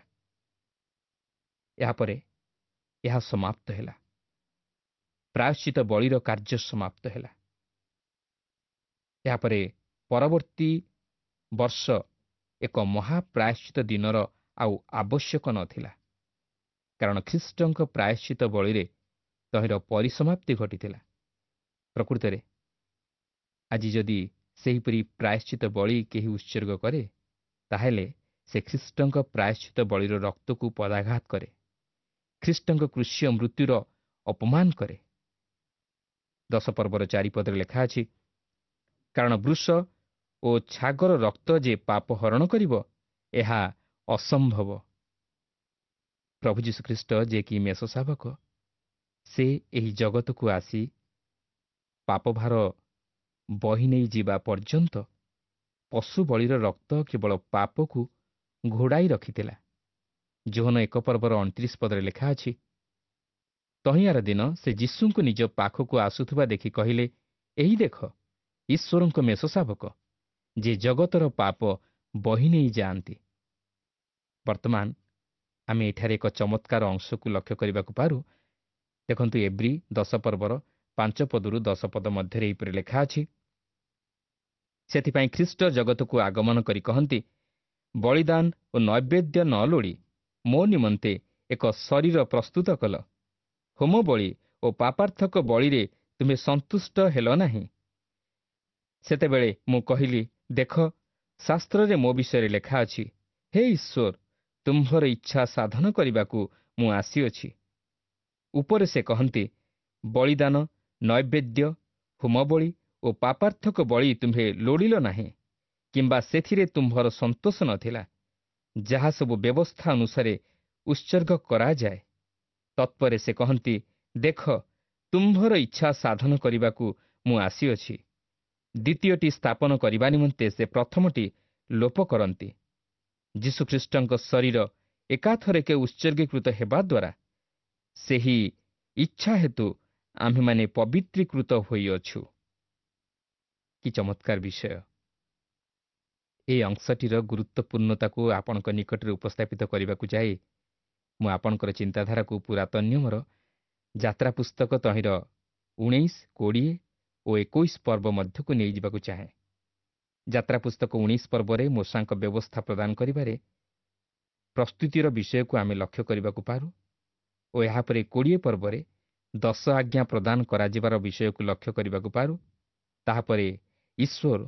ଏହାପରେ ଏହା ସମାପ୍ତ ହେଲା। ପ୍ରାୟଶ୍ଚିତ ବଳିର କାର୍ଯ୍ୟ ସମାପ୍ତ ହେଲା। ଏହାପରେ ପରବର୍ତ୍ତୀ ବର୍ଷ ଏକ ମହାପ୍ରାୟଶ୍ଚିତ ଦିନର ଆଉ ଆବଶ୍ୟକ ନଥିଲା, କାରଣ ଖ୍ରୀଷ୍ଟଙ୍କ ପ୍ରାୟଶ୍ଚିତ ବଳିରେ ତହିଁର ପରିସମାପ୍ତି ଘଟିଥିଲା। ପ୍ରକୃତରେ ଆଜି ଯଦି ସେହିପରି ପ୍ରାୟଶ୍ଚିତ ବଳି କେହି ଉତ୍ସର୍ଗ କରେ, ତାହେଲେ ସେ ଖ୍ରୀଷ୍ଟଙ୍କ ପ୍ରାୟଶ୍ଚିତ ବଳିର ରକ୍ତକୁ ପଦାଘାତ କରେ, ଖ୍ରୀଷ୍ଟଙ୍କ କୃଷୀୟ ମୃତ୍ୟୁର ଅପମାନ କରେ। 10 ପର୍ବର 4 ପଦରେ ଲେଖା ଅଛି, କାରଣ ବୃଷ ଓ ଛାଗର ରକ୍ତ ଯେ ପାପ ହରଣ କରିବ, ଏହା ଅସମ୍ଭବ। ପ୍ରଭୁ ଯୀଶୁଖ୍ରୀଷ୍ଟ ଯେ କି ମେଷ ଶାବକ, ସେ ଏହି ଜଗତକୁ ଆସି ପାପଭାର ବହି ନେଇ ଯିବା ପର୍ଯ୍ୟନ୍ତ ପଶୁ ବଳିର ରକ୍ତ କେବଳ ପାପକୁ ଘୋଡ଼ାଇ ରଖିଥିଲା। ଯୋହନ 1 ପର୍ବର 29 ପଦରେ ଲେଖା ଅଛି, ତହିଁଆର ଦିନ ସେ ଯୀଶୁଙ୍କୁ ନିଜ ପାଖକୁ ଆସୁଥିବା ଦେଖି କହିଲେ, ଏହି ଦେଖ, ଈଶ୍ୱରଙ୍କ ମେଷ ଶାବକ, ଯେ ଜଗତର ପାପ ବହି ନେଇ ଯାଆନ୍ତି। ବର୍ତ୍ତମାନ ଆମେ ଏଠାରେ ଏକ ଚମତ୍କାର ଅଂଶକୁ ଲକ୍ଷ୍ୟ କରିବାକୁ ପାରୁ। ଦେଖନ୍ତୁ, ଏବ୍ରୀ 10 ପର୍ବର 5 ପଦରୁ 10 ପଦ ମଧ୍ୟରେ ଏହିପରି ଲେଖା ଅଛି, ସେଥିପାଇଁ ଖ୍ରୀଷ୍ଟ ଜଗତକୁ ଆଗମନ କରି କହନ୍ତି, ବଳିଦାନ ଓ ନୈବେଦ୍ୟ ନ ଲୋଡ଼ି ମୋ ନିମନ୍ତେ ଏକ ଶରୀର ପ୍ରସ୍ତୁତ କଲ। ହୋମ ବଳି ଓ ପାପାର୍ଥକ ବଳିରେ ତୁମେ ସନ୍ତୁଷ୍ଟ ହେଲ ନାହିଁ। ସେତେବେଳେ ମୁଁ କହିଲି, ଦେଖ, ଶାସ୍ତ୍ରରେ ମୋ ବିଷୟରେ ଲେଖା ଅଛି, ହେ ଈଶ୍ୱର, ତୁମ୍ଭର ଇଚ୍ଛା ସାଧନ କରିବାକୁ ମୁଁ ଆସିଅଛି। ଉପରେ ସେ କହନ୍ତି, ବଳିଦାନ, ନୈବେଦ୍ୟ, ହୋମବଳି ଓ ପାପାର୍ଥକ ବଳି ତୁମ୍ଭେ ଲୋଡ଼ିଲ ନାହିଁ, କିମ୍ବା ସେଥିରେ ତୁମ୍ଭର ସନ୍ତୋଷ ନଥିଲା, ଯାହା ସବୁ ବ୍ୟବସ୍ଥା ଅନୁସାରେ ଉତ୍ସର୍ଗ କରାଯାଏ। ତତ୍ପରେ ସେ କହନ୍ତି, ଦେଖ, ତୁମ୍ଭର ଇଚ୍ଛା ସାଧନ କରିବାକୁ ମୁଁ ଆସିଅଛି। ଦ୍ୱିତୀୟଟି ସ୍ଥାପନ କରିବା ନିମନ୍ତେ ସେ ପ୍ରଥମଟି ଲୋପ କରନ୍ତି। ଯୀଶୁଖ୍ରୀଷ୍ଟଙ୍କ ଶରୀର ଏକାଥରକେ ଉତ୍ସର୍ଗୀକୃତ ହେବା ଦ୍ୱାରା ସେହି ଇଚ୍ଛା ହେତୁ ଆମ୍ଭେମାନେ ପବିତ୍ରୀକୃତ ହୋଇଅଛୁ। କି ଚମତ୍କାର ବିଷୟ! ଏହି ଅଂଶଟିର ଗୁରୁତ୍ୱପୂର୍ଣ୍ଣତାକୁ ଆପଣଙ୍କ ନିକଟରେ ଉପସ୍ଥାପିତ କରିବାକୁ ଯାଇ ମୁଁ ଆପଣଙ୍କର ଚିନ୍ତାଧାରାକୁ ପୁରାତନ ନିୟମର ଯାତ୍ରା ପୁସ୍ତକ ତହିଁର 19, 20 ଓ 21 ପର୍ବ ମଧ୍ୟକୁ ନେଇଯିବାକୁ ଚାହେଁ। ଯାତ୍ରା ପୁସ୍ତକ 19 ପର୍ବରେ ମୋଶାଙ୍କ ବ୍ୟବସ୍ଥା ପ୍ରଦାନ କରିବାରେ ପ୍ରସ୍ତୁତିର ବିଷୟକୁ ଆମେ ଲକ୍ଷ୍ୟ କରିବାକୁ ପାରୁ ଓ ଏହାପରେ 20 ପର୍ବରେ 10 ଆଜ୍ଞା ପ୍ରଦାନ କରାଯିବାର ବିଷୟକୁ ଲକ୍ଷ୍ୟ କରିବାକୁ ପାରୁ। ତାହାପରେ ଈଶ୍ୱର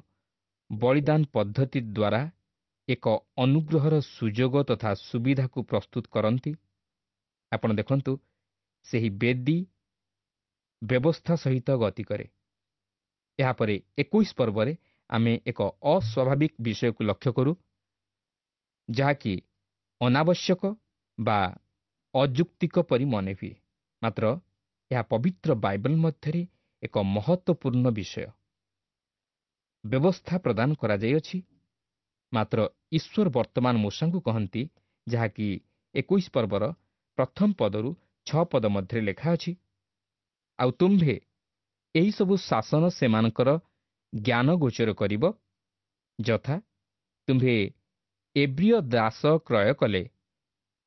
ବଳିଦାନ ପଦ୍ଧତି ଦ୍ୱାରା ଏକ ଅନୁଗ୍ରହର ସୁଯୋଗ ତଥା ସୁବିଧାକୁ ପ୍ରସ୍ତୁତ କରନ୍ତି। ଆପଣ ଦେଖନ୍ତୁ, ସେହି ବେଦୀ ବ୍ୟବସ୍ଥା ସହିତ ଗତି କରେ। ଏହାପରେ 21 ପର୍ବରେ ଆମେ ଏକ ଅସ୍ୱାଭାବିକ ବିଷୟକୁ ଲକ୍ଷ୍ୟ କରୁ, ଯାହାକି ଅନାବଶ୍ୟକ ବା ଅଯୁକ୍ତିକ ପରି ମନେ ହୁଏ, ମାତ୍ର ଏହା ପବିତ୍ର ବାଇବଲ ମଧ୍ୟରେ ଏକ ମହତ୍ତ୍ୱପୂର୍ଣ୍ଣ ବିଷୟ। ବ୍ୟବସ୍ଥା ପ୍ରଦାନ କରାଯାଇଅଛି, ମାତ୍ର ଈଶ୍ୱର ବର୍ତ୍ତମାନ ମୋଶାଙ୍କୁ କହନ୍ତି, ଯାହାକି 21 ପର୍ବର ପ୍ରଥମ ପଦରୁ 6 ପଦ ମଧ୍ୟରେ ଲେଖା ଅଛି, ଆଉ ତୁମ୍ଭେ ଏହିସବୁ ଶାସନ ସେମାନଙ୍କର ଜ୍ଞାନ ଗୋଚର କରିବ, ଯଥା ତୁମ୍ଭେ ଏବ୍ରିୟ ଦାସ କ୍ରୟ କଲେ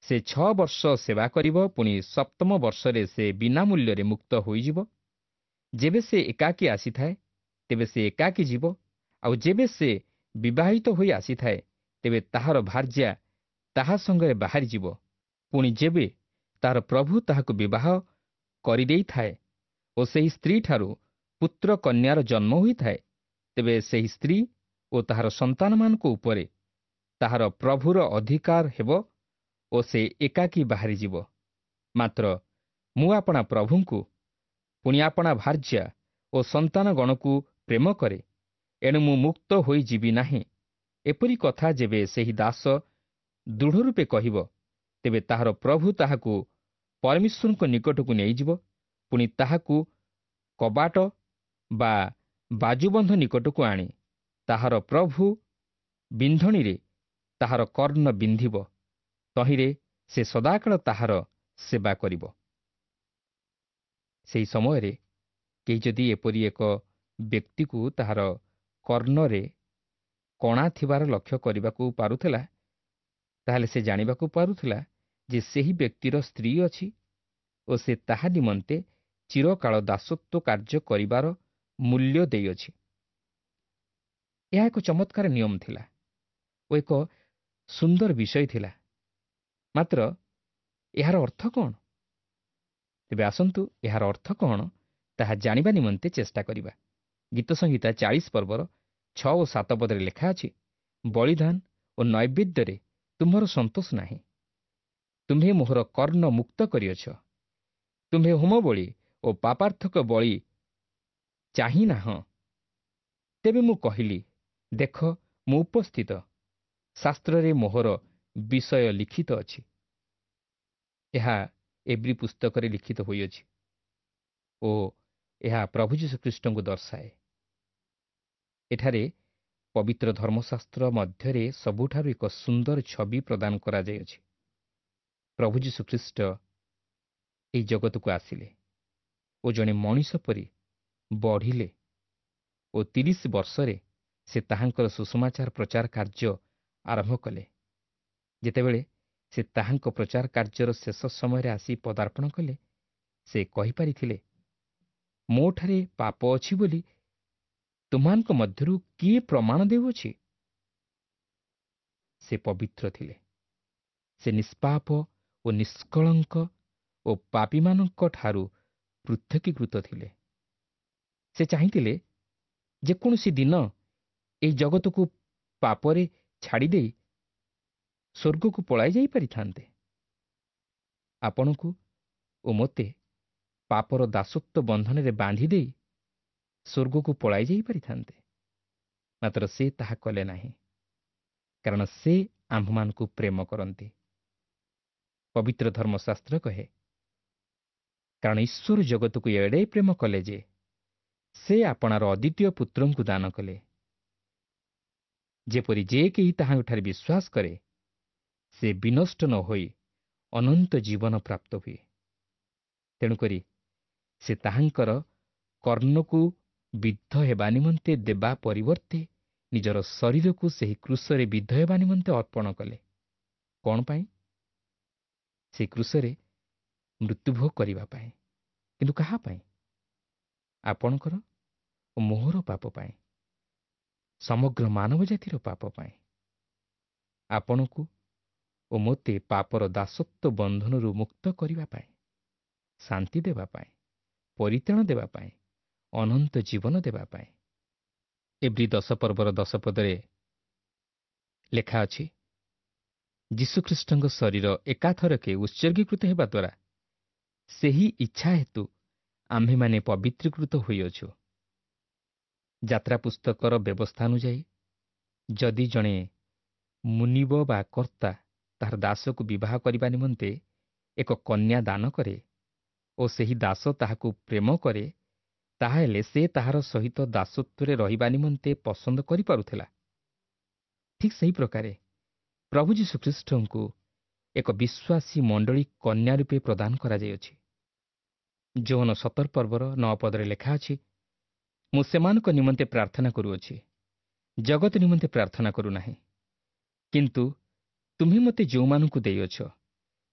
ସେ 6 ବର୍ଷ ସେବା କରିବ, ପୁଣି 7ମ ବର୍ଷରେ ସେ ବିନା ମୂଲ୍ୟରେ ମୁକ୍ତ ହୋଇଯିବ। ଯେବେ ସେ ଏକାକୀ ଆସିଥାଏ ତେବେ ସେ ଏକାକୀ ଯିବ, ଆଉ ଯେବେ ସେ ବିବାହିତ ହୋଇ ଆସିଥାଏ ତେବେ ତାହାର ଭାର୍ଯ୍ୟା ତାହା ସଙ୍ଗରେ ବାହାରିଯିବ। ପୁଣି ଯେବେ ତାହାର ପ୍ରଭୁ ତାହାକୁ ବିବାହ କରିଦେଇଥାଏ ଓ ସେହି ସ୍ତ୍ରୀଠାରୁ ପୁତ୍ର କନ୍ୟାର ଜନ୍ମ ହୋଇଥାଏ, ତେବେ ସେହି ସ୍ତ୍ରୀ ଓ ତାହାର ସନ୍ତାନମାନଙ୍କ ଉପରେ ତାହାର ପ୍ରଭୁର ଅଧିକାର ହେବ ଓ ସେ ଏକାକୀ ବାହାରିଯିବ। ମାତ୍ର ମୁଁ ଆପଣା ପ୍ରଭୁଙ୍କୁ ପୁଣି ଆପଣା ଭାର୍ଯ୍ୟା ଓ ସନ୍ତାନଗଣକୁ ପ୍ରେମ କରେ, ଏଣୁ ମୁଁ ମୁକ୍ତ ହୋଇଯିବି ନାହିଁ। ଏପରି କଥା ଯେବେ ସେହି ଦାସ ଦୃଢ଼ ରୂପେ କହିବ, ତେବେ ତାହାର ପ୍ରଭୁ ତାହାକୁ ପରମେଶ୍ୱରଙ୍କ ନିକଟକୁ ନେଇଯିବ, ପୁଣି ତାହାକୁ କବାଟ ବା ବାଜୁବନ୍ଧ ନିକଟକୁ ଆଣି ତାହାର ପ୍ରଭୁ ବିନ୍ଧଣୀରେ ତାହାର କର୍ଣ୍ଣ ବିନ୍ଧିବ, ତହିଁରେ ସେ ସଦାକାଳ ତାହାର ସେବା କରିବ। ସେହି ସମୟରେ କେହି ଯଦି ଏପରି ଏକ ବ୍ୟକ୍ତିକୁ ତାହାର କର୍ଣ୍ଣରେ କଣା ଥିବାର ଲକ୍ଷ୍ୟ କରିବାକୁ ପାରୁଥିଲା, ତାହେଲେ ସେ ଜାଣିବାକୁ ପାରୁଥିଲା ଯେ ସେହି ବ୍ୟକ୍ତିର ସ୍ତ୍ରୀ ଅଛି ଓ ସେ ତାହା ନିମନ୍ତେ ଚିରକାଳ ଦାସତ୍ୱ କାର୍ଯ୍ୟ କରିବାର ମୂଲ୍ୟ ଦେଇଅଛି। ଏହା ଏକ ଚମତ୍କାର ନିୟମ ଥିଲା ଓ ଏକ ସୁନ୍ଦର ବିଷୟ ଥିଲା, ମାତ୍ର ଏହାର ଅର୍ଥ କ'ଣ? ତେବେ ଆସନ୍ତୁ ଏହାର ଅର୍ଥ କ'ଣ ତାହା ଜାଣିବା ନିମନ୍ତେ ଚେଷ୍ଟା କରିବା। ଗୀତ ସଂହିତା 40 ପର୍ବର 6 ଓ 7 ପଦରେ ଲେଖା ଅଛି, ବଳିଦାନ ଓ ନୈବେଦ୍ୟରେ ତୁମ୍ଭର ସନ୍ତୋଷ ନାହିଁ, ତୁମ୍ଭେ ମୋହର କର୍ଣ୍ଣ ମୁକ୍ତ କରିଅଛ, ତୁମ୍ଭେ ହୋମ ବଳି ଓ ପାପାର୍ଥକ ବଳି ଚାହିଁ ନାହଁ। ତେବେ ମୁଁ କହିଲି, ଦେଖ ମୁଁ ଉପସ୍ଥିତ, ଶାସ୍ତ୍ରରେ ମୋହର ବିଷୟ ଲିଖିତ ଅଛି। ଏହା ଏବ୍ରୀ ପୁସ୍ତକରେ ଲିଖିତ ହୋଇଅଛି ଓ ଏହା ପ୍ରଭୁ ଯୀଶୁଖ୍ରୀଷ୍ଟଙ୍କୁ ଦର୍ଶାଏ। ଏଠାରେ ପବିତ୍ର ଧର୍ମଶାସ୍ତ୍ର ମଧ୍ୟରେ ସବୁଠାରୁ ଏକ ସୁନ୍ଦର ଛବି ପ୍ରଦାନ କରାଯାଇଅଛି। ପ୍ରଭୁ ଯୀଶୁଖ୍ରୀଷ୍ଟ ଏହି ଜଗତକୁ ଆସିଲେ ଓ ଜଣେ ମଣିଷ ପରି ବଢ଼ିଲେ ଓ 30 ବର୍ଷରେ ସେ ତାହାଙ୍କର ସୁସମାଚାର ପ୍ରଚାର କାର୍ଯ୍ୟ ଆରମ୍ଭ କଲେ। ଯେତେବେଳେ ସେ ତାହାଙ୍କ ପ୍ରଚାର କାର୍ଯ୍ୟର ଶେଷ ସମୟରେ ଆସି ପଦାର୍ପଣ କଲେ, ସେ କହିପାରିଥିଲେ, ମୋଠାରେ ପାପ ଅଛି ବୋଲି ତୁମମାନଙ୍କ ମଧ୍ୟରୁ କିଏ ପ୍ରମାଣ ଦେଉଅଛି? ସେ ପବିତ୍ର ଥିଲେ, ସେ ନିଷ୍ପାପ ଓ ନିଷ୍କଳଙ୍କ ଓ ପାପୀମାନଙ୍କ ଠାରୁ ପୃଥକୀକୃତ ଥିଲେ। ସେ ଚାହିଁଥିଲେ ଯେକୌଣସି ଦିନ ଏହି ଜଗତକୁ ପାପରେ ଛାଡ଼ିଦେଇ ସ୍ୱର୍ଗକୁ ପଳାଇ ଯାଇପାରିଥାନ୍ତେ। ଆପଣଙ୍କୁ ଓ ମୋତେ ପାପର ଦାସତ୍ୱ ବନ୍ଧନରେ ବାନ୍ଧି ଦେଇ ସ୍ୱର୍ଗକୁ ପଳାଇ ଯାଇପାରିଥାନ୍ତେ, ମାତ୍ର ସେ ତାହା କଲେ ନାହିଁ, କାରଣ ସେ ଆମ୍ଭମାନଙ୍କୁ ପ୍ରେମ କରନ୍ତି। ପବିତ୍ର ଧର୍ମଶାସ୍ତ୍ର କହେ, କାରଣ ଈଶ୍ୱର ଜଗତକୁ ଏଡ଼େ ପ୍ରେମ କଲେ ଯେ ସେ ଆପଣାର ଅଦ୍ୱିତୀୟ ପୁତ୍ରଙ୍କୁ ଦାନ କଲେ, ଯେପରି ଯେ କେହି ତାହାଙ୍କଠାରେ ବିଶ୍ୱାସ କରେ ସେ ବିନଷ୍ଟ ନ ହୋଇ ଅନନ୍ତ ଜୀବନ ପ୍ରାପ୍ତ ହୁଏ। ତେଣୁକରି ସେ ତାହାଙ୍କର କର୍ଣ୍ଣକୁ ବିଦ୍ଧ ହେବା ନିମନ୍ତେ ଦେବା ପରିବର୍ତ୍ତେ ନିଜର ଶରୀରକୁ ସେହି କ୍ରୁଶରେ ବିଦ୍ଧ ହେବା ନିମନ୍ତେ ଅର୍ପଣ କଲେ। କ'ଣ ପାଇଁ? ସେହି କ୍ରୁଶରେ ମୃତ୍ୟୁଭୋଗ କରିବା ପାଇଁ। କିନ୍ତୁ କାହା ପାଇଁ? ଆପଣଙ୍କର ଓ ମୋହର ପାପ ପାଇଁ, ସମଗ୍ର ମାନବ ଜାତିର ପାପ ପାଇଁ। ଆପଣଙ୍କୁ ଓ ମୋତେ ପାପର ଦାସତ୍ୱ ବନ୍ଧନରୁ ମୁକ୍ତ କରିବା ପାଇଁ, ଶାନ୍ତି ଦେବା ପାଇଁ, ପରିତ୍ରାଣ ଦେବା ପାଇଁ, ଅନନ୍ତ ଜୀବନ ଦେବା ପାଇଁ। ଏବ୍ରୀ 10 ପର୍ବର 10 ପଦରେ ଲେଖା ଅଛି, ଯୀଶୁଖ୍ରୀଷ୍ଟଙ୍କ ଶରୀର ଏକାଥରକେ ଉତ୍ସର୍ଗୀକୃତ ହେବା ଦ୍ୱାରା ସେହି ଇଚ୍ଛା ହେତୁ ଆମ୍ଭେମାନେ ପବିତ୍ରୀକୃତ ହୋଇଅଛୁ। ଯାତ୍ରା ପୁସ୍ତକର ବ୍ୟବସ୍ଥା ଅନୁଯାୟୀ ଯଦି ଜଣେ ମୁନିବ ବା କର୍ତ୍ତା ତାହାର ଦାସକୁ ବିବାହ କରିବା ନିମନ୍ତେ ଏକ କନ୍ୟା ଦାନ କରେ ଓ ସେହି ଦାସ ତାହାକୁ ପ୍ରେମ କରେ, ତାହାହେଲେ ସେ ତାହାର ସହିତ ଦାସତ୍ୱରେ ରହିବା ନିମନ୍ତେ ପସନ୍ଦ କରିପାରୁଥିଲା। ଠିକ୍ ସେହି ପ୍ରକାରେ ପ୍ରଭୁ ଯୀଶୁଖ୍ରୀଷ୍ଟଙ୍କୁ ଏକ ବିଶ୍ୱାସୀ ମଣ୍ଡଳୀ କନ୍ୟା ରୂପେ ପ୍ରଦାନ କରାଯାଇଅଛି। ଯୋହନ 17 ପର୍ବର 9 ପଦରେ ଲେଖା ଅଛି, ମୁଁ ସେମାନଙ୍କ ନିମନ୍ତେ ପ୍ରାର୍ଥନା କରୁଅଛି, ଜଗତ ନିମନ୍ତେ ପ୍ରାର୍ଥନା କରୁନାହିଁ, କିନ୍ତୁ ତୁମ୍ଭେ ମୋତେ ଯେଉଁମାନଙ୍କୁ ଦେଇଅଛ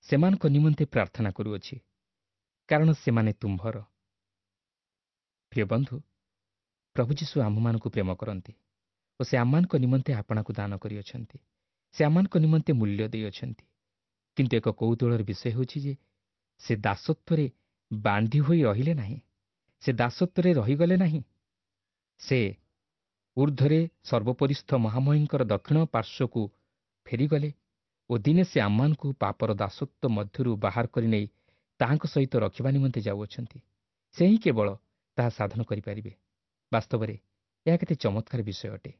ସେମାନଙ୍କ ନିମନ୍ତେ ପ୍ରାର୍ଥନା କରୁଅଛି, କାରଣ ସେମାନେ ତୁମ୍ଭର। ପ୍ରିୟ ବନ୍ଧୁ, ପ୍ରଭୁ ଯୀଶୁ ଆମ୍ଭମାନଙ୍କୁ ପ୍ରେମ କରନ୍ତି ଓ ସେ ଆମମାନଙ୍କ ନିମନ୍ତେ ଆପଣାକୁ ଦାନ କରିଅଛନ୍ତି। ସେ ଆମମାନଙ୍କ ନିମନ୍ତେ ମୂଲ୍ୟ ଦେଇଅଛନ୍ତି। କିନ୍ତୁ ଏକ କୌତୂହଳର ବିଷୟ ହେଉଛି ଯେ ସେ ଦାସତ୍ୱରେ ବାନ୍ଧି ହୋଇ ରହିଲେ ନାହିଁ, ସେ ଦାସତ୍ୱରେ ରହିଗଲେ ନାହିଁ। ସେ ଉର୍ଦ୍ଧ୍ୱରେ ସର୍ବୋପରିସ୍ଥ ମହାମହିଙ୍କର ଦକ୍ଷିଣ ପାର୍ଶ୍ୱକୁ ଫେରିଗଲେ ଓ ଦିନେ ସେ ଆମମାନଙ୍କୁ ପାପର ଦାସତ୍ୱ ମଧ୍ୟରୁ ବାହାର କରି ନେଇ ତାହାଙ୍କ ସହିତ ରଖିବା ନିମନ୍ତେ ଯାଉଅଛନ୍ତି। ସେ ହିଁ କେବଳ ତାହା ସାଧନ କରିପାରିବେ। ବାସ୍ତବରେ ଏହା କେତେ ଚମତ୍କାର ବିଷୟ ଅଟେ।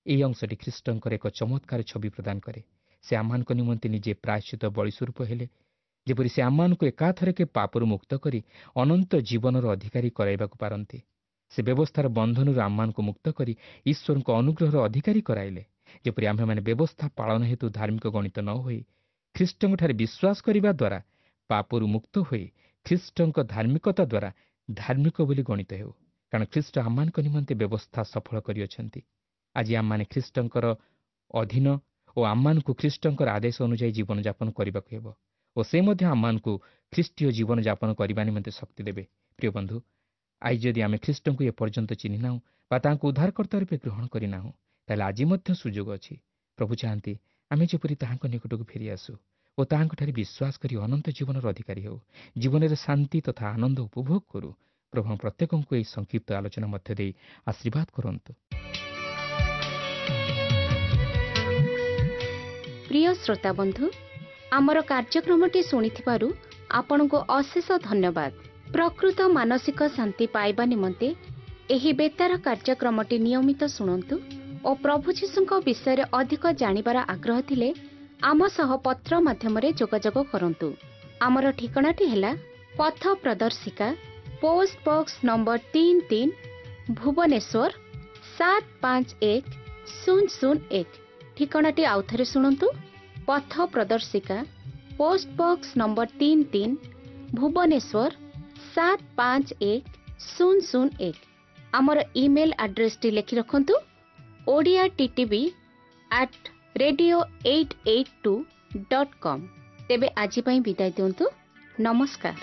ଏହି ଅଂଶଟି ଖ୍ରୀଷ୍ଟଙ୍କର ଏକ ଚମତ୍କାର ଛବି ପ୍ରଦାନ କରେ। ସେ ଆମମାନଙ୍କ ନିମନ୍ତେ ନିଜେ ପ୍ରାୟଶ୍ଚିତ ବଳିସ୍ୱରୂପ ହେଲେ, ଯେପରି ସେ ଆମମାନଙ୍କୁ ଏକାଥରକେ ପାପରୁ ମୁକ୍ତ କରି ଅନନ୍ତ ଜୀବନର ଅଧିକାରୀ କରାଇବାକୁ ପାରନ୍ତି। ସେ ବ୍ୟବସ୍ଥାର ବନ୍ଧନରୁ ଆମମାନଙ୍କୁ ମୁକ୍ତ କରି ଈଶ୍ୱରଙ୍କ ଅନୁଗ୍ରହର ଅଧିକାରୀ କରାଇଲେ, ଯେପରି ଆମ୍ଭେମାନେ ବ୍ୟବସ୍ଥା ପାଳନ ହେତୁ ଧାର୍ମିକ ଗଣିତ ନ ହୋଇ ଖ୍ରୀଷ୍ଟଙ୍କଠାରେ ବିଶ୍ୱାସ କରିବା ଦ୍ୱାରା ପାପରୁ ମୁକ୍ତ ହୋଇ ଖ୍ରୀଷ୍ଟଙ୍କ ଧାର୍ମିକତା ଦ୍ୱାରା ଧାର୍ମିକ ବୋଲି ଗଣିତ ହେଉ। କାରଣ ଖ୍ରୀଷ୍ଟ ଆମମାନଙ୍କ ନିମନ୍ତେ ବ୍ୟବସ୍ଥା ସଫଳ କରିଅଛନ୍ତି। ଆଜି ଆମମାନେ ଖ୍ରୀଷ୍ଟଙ୍କର ଅଧୀନ ଓ ଆମମାନଙ୍କୁ ଖ୍ରୀଷ୍ଟଙ୍କର ଆଦେଶ ଅନୁଯାୟୀ ଜୀବନଯାପନ କରିବାକୁ ହେବ ଓ ସେ ମଧ୍ୟ ଆମମାନଙ୍କୁ ଖ୍ରୀଷ୍ଟୀୟ ଜୀବନଯାପନ କରିବା ନିମନ୍ତେ ଶକ୍ତି ଦେବେ। ପ୍ରିୟ ବନ୍ଧୁ, ଆଜି ଯଦି ଆମେ ଖ୍ରୀଷ୍ଟଙ୍କୁ ଏପର୍ଯ୍ୟନ୍ତ ଚିହ୍ନିନାହୁଁ ବା ତାହାଙ୍କୁ ଉଦ୍ଧାରକର୍ତ୍ତା ରୂପେ ଗ୍ରହଣ କରିନାହୁଁ, ତାହେଲେ ଆଜି ମଧ୍ୟ ସୁଯୋଗ ଅଛି। ପ୍ରଭୁ ଚାହାନ୍ତି ଆମେ ଯେପରି ତାହାଙ୍କ ନିକଟକୁ ଫେରିଆସୁ ଓ ତାହାଙ୍କଠାରେ ବିଶ୍ୱାସ କରି ଅନନ୍ତ ଜୀବନର ଅଧିକାରୀ ହେଉ, ଜୀବନରେ ଶାନ୍ତି ତଥା ଆନନ୍ଦ ଉପଭୋଗ କରୁ। ପ୍ରଭୁ ପ୍ରତ୍ୟେକଙ୍କୁ ଏହି ସଂକ୍ଷିପ୍ତ ଆଲୋଚନା ମଧ୍ୟ ଦେଇ ଆଶୀର୍ବାଦ କରନ୍ତୁ। ପ୍ରିୟ ଶ୍ରୋତା ବନ୍ଧୁ, ଆମର କାର୍ଯ୍ୟକ୍ରମଟି ଶୁଣିଥିବାରୁ ଆପଣଙ୍କୁ ଅଶେଷ ଧନ୍ୟବାଦ। ପ୍ରକୃତ ମାନସିକ ଶାନ୍ତି ପାଇବା ନିମନ୍ତେ ଏହି ବେତାର କାର୍ଯ୍ୟକ୍ରମଟି ନିୟମିତ ଶୁଣନ୍ତୁ ଓ ପ୍ରଭୁ ଯୀଶୁଙ୍କ ବିଷୟରେ ଅଧିକ ଜାଣିବାର ଆଗ୍ରହ ଥିଲେ ଆମ ସହ ପତ୍ର ମାଧ୍ୟମରେ ଯୋଗାଯୋଗ କରନ୍ତୁ। ଆମର ଠିକଣାଟି ହେଲା ପଥ ପ୍ରଦର୍ଶିକା, ପୋଷ୍ଟ ବକ୍ସ ନମ୍ବର 33, ଭୁବନେଶ୍ୱର 751001। ଠିକଣାଟି ଆଉଥରେ ଶୁଣନ୍ତୁ, ପଥ ପ୍ରଦର୍ଶିକା, ପୋଷ୍ଟ ବକ୍ସ ନମ୍ବର 33, ଭୁବନେଶ୍ୱର 751001। ଆମର ଇମେଲ୍ ଆଡ୍ରେସଟି ଲେଖି ରଖନ୍ତୁ, Odia TTV@radio882.com। ତେବେ ଆଜି ପାଇଁ ବିଦାୟ ଦିଅନ୍ତୁ। ନମସ୍କାର।